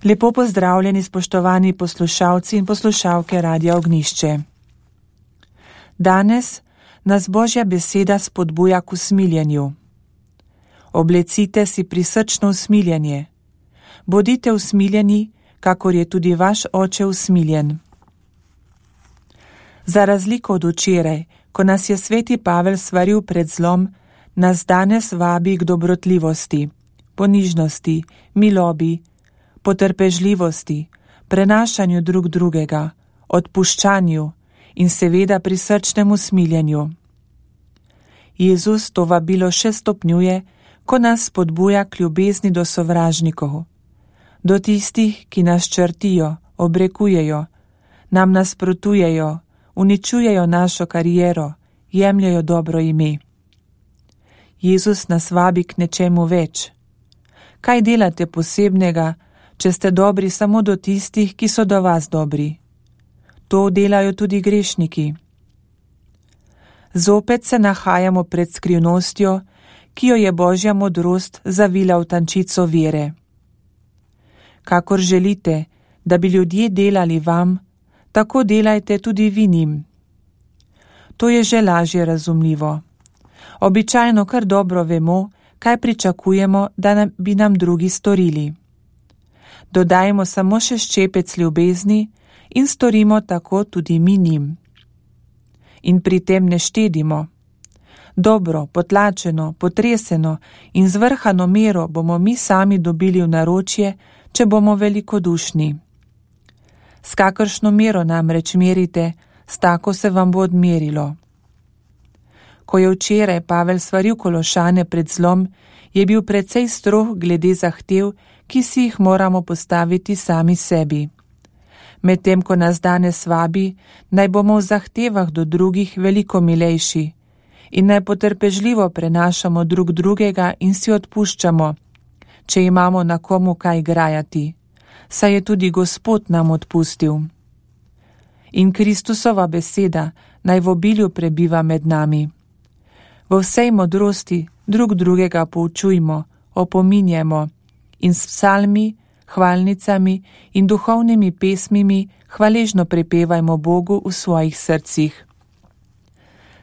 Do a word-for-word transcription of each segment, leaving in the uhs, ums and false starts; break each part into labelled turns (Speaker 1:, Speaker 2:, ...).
Speaker 1: Lepo pozdravljeni, spoštovani poslušalci in poslušalke Radia Ognjišče. Danes nas Božja beseda spodbuja k usmiljenju. Oblecite si prisrčno usmiljenje. Bodite usmiljeni, kakor je tudi vaš Oče usmiljen. Za razliko od včeraj, ko nas je sveti Pavel svaril pred zlom, nas danes vabi k dobrotljivosti, ponižnosti, milobi, potrpežljivosti, prenašanju drug drugega, odpuščanju in seveda prisrčnemu smiljenju. Jezus to vabilo še stopnjuje, ko nas spodbuja k ljubezni do sovražnikov, do tistih, ki nas črtijo, obrekujejo, nam nasprotujejo, uničujejo našo kariero, jemljajo dobro ime. Jezus nas vabi k nečemu več. Kaj delate posebnega, če ste dobri samo do tistih, ki so do vas dobri? To delajo tudi grešniki. Zopet se nahajamo pred skrivnostjo, ki jo je Božja modrost zavila v tančico vere. Kakor želite, da bi ljudje delali vam, tako delajte tudi vi njim. To je že lažje razumljivo. Običajno kar dobro vemo, kaj pričakujemo, da nam, bi nam drugi storili. Dodajmo samo še ščepec ljubezni in storimo tako tudi mi njim. In pri tem ne štedimo. Dobro, potlačeno, potreseno in zvrhano mero bomo mi sami dobili v naročje, če bomo velikodušni. S kakršno mero namreč merite, s tako se vam bo odmerilo. Ko je včeraj Pavel svaril Kološane pred zlom, je bil precej strog glede zahtev, ki si jih moramo postaviti sami sebi. Medtem ko nas danes vabi, naj bomo v zahtevah do drugih veliko milejši in naj potrpežljivo prenašamo drug drugega in si odpuščamo, če imamo na komu kaj grajati, saj je tudi Gospod nam odpustil. In Kristusova beseda naj v obilju prebiva med nami. V vsej modrosti drug drugega poučujmo, opominjamo in s psalmi, hvalnicami in duhovnimi pesmimi hvaležno prepevajmo Bogu v svojih srcih.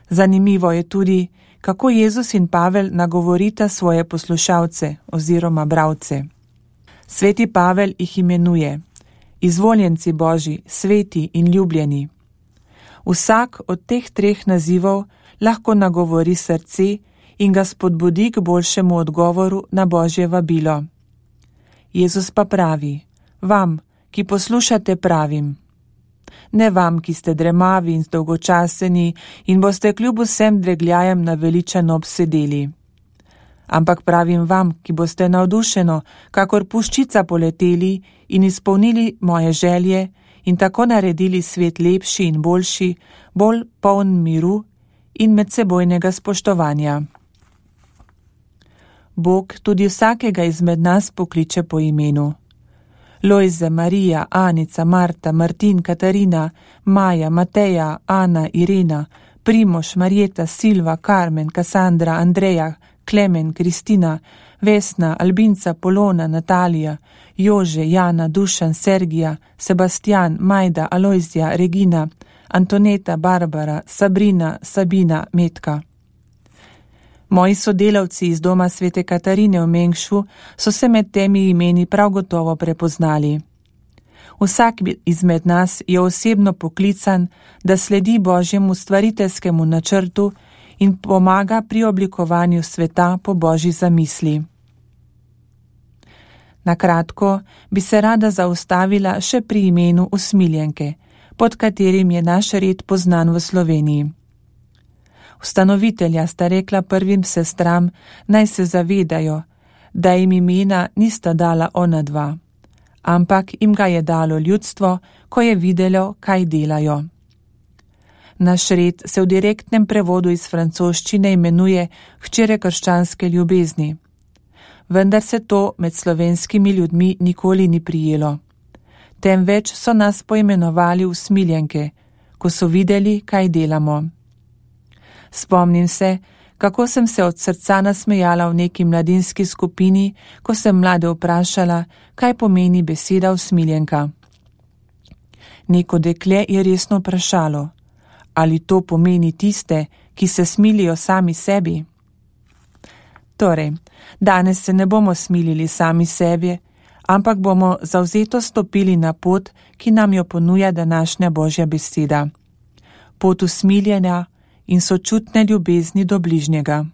Speaker 1: Zanimivo je tudi, kako Jezus in Pavel nagovorita svoje poslušalce oziroma bralce. Sveti Pavel jih imenuje izvoljenci Božji, sveti in ljubljeni. Vsak od teh treh nazivov lahko nagovori srce in ga spodbudi k boljšemu odgovoru na Božje vabilo. Jezus pa pravi, vam, ki poslušate, pravim. Ne vam, ki ste dremavi in zdolgočaseni in boste kljub vsem dregljajem naveličano obsedeli. Ampak pravim vam, ki boste navdušeno, kakor puščica poleteli in izpolnili moje želje in tako naredili svet lepši in boljši, bolj poln miru in medsebojnega spoštovanja. Bog tudi vsakega izmed nas pokliče po imenu. Lojze, Marija, Anica, Marta, Martin, Katarina, Maja, Mateja, Ana, Irena, Primož, Marjeta, Silva, Karmen, Kasandra, Andreja, Klemen, Kristina, Vesna, Albinca, Polona, Natalija, Jože, Jana, Dušan, Sergija, Sebastian, Majda, Alojzija, Regina, Antoneta, Barbara, Sabrina, Sabina, Metka. Moji sodelavci iz doma svete Katarine v Mengšu so se med temi imeni prav gotovo prepoznali. Vsak izmed nas je osebno poklican, da sledi Božjemu stvariteljskemu načrtu in pomaga pri oblikovanju sveta po Božji zamisli. Na kratko bi se rada zaustavila še pri imenu usmiljenke, pod katerim je naš red poznan v Sloveniji. Ustanovitelja sta rekla prvim sestram, naj se zavedajo, da jim imena nista dala ona dva, ampak jim ga je dalo ljudstvo, ko je videlo, kaj delajo. Naš red se v direktnem prevodu iz francoščine imenuje hčere krščanske ljubezni. Vendar se to med slovenskimi ljudmi nikoli ni prijelo. Temveč so nas poimenovali usmiljenke, ko so videli, kaj delamo. Spomnim se, kako sem se od srca nasmejala v neki mladinski skupini, ko sem mlade vprašala, kaj pomeni beseda usmiljenka. Neko dekle je resno vprašalo, ali to pomeni tiste, ki se smilijo sami sebi. Torej, danes se ne bomo smilili sami sebi, ampak bomo zavzeto stopili na pot, ki nam jo ponuja današnja Božja beseda. Pot usmiljenja in sočutne ljubezni do bližnjega.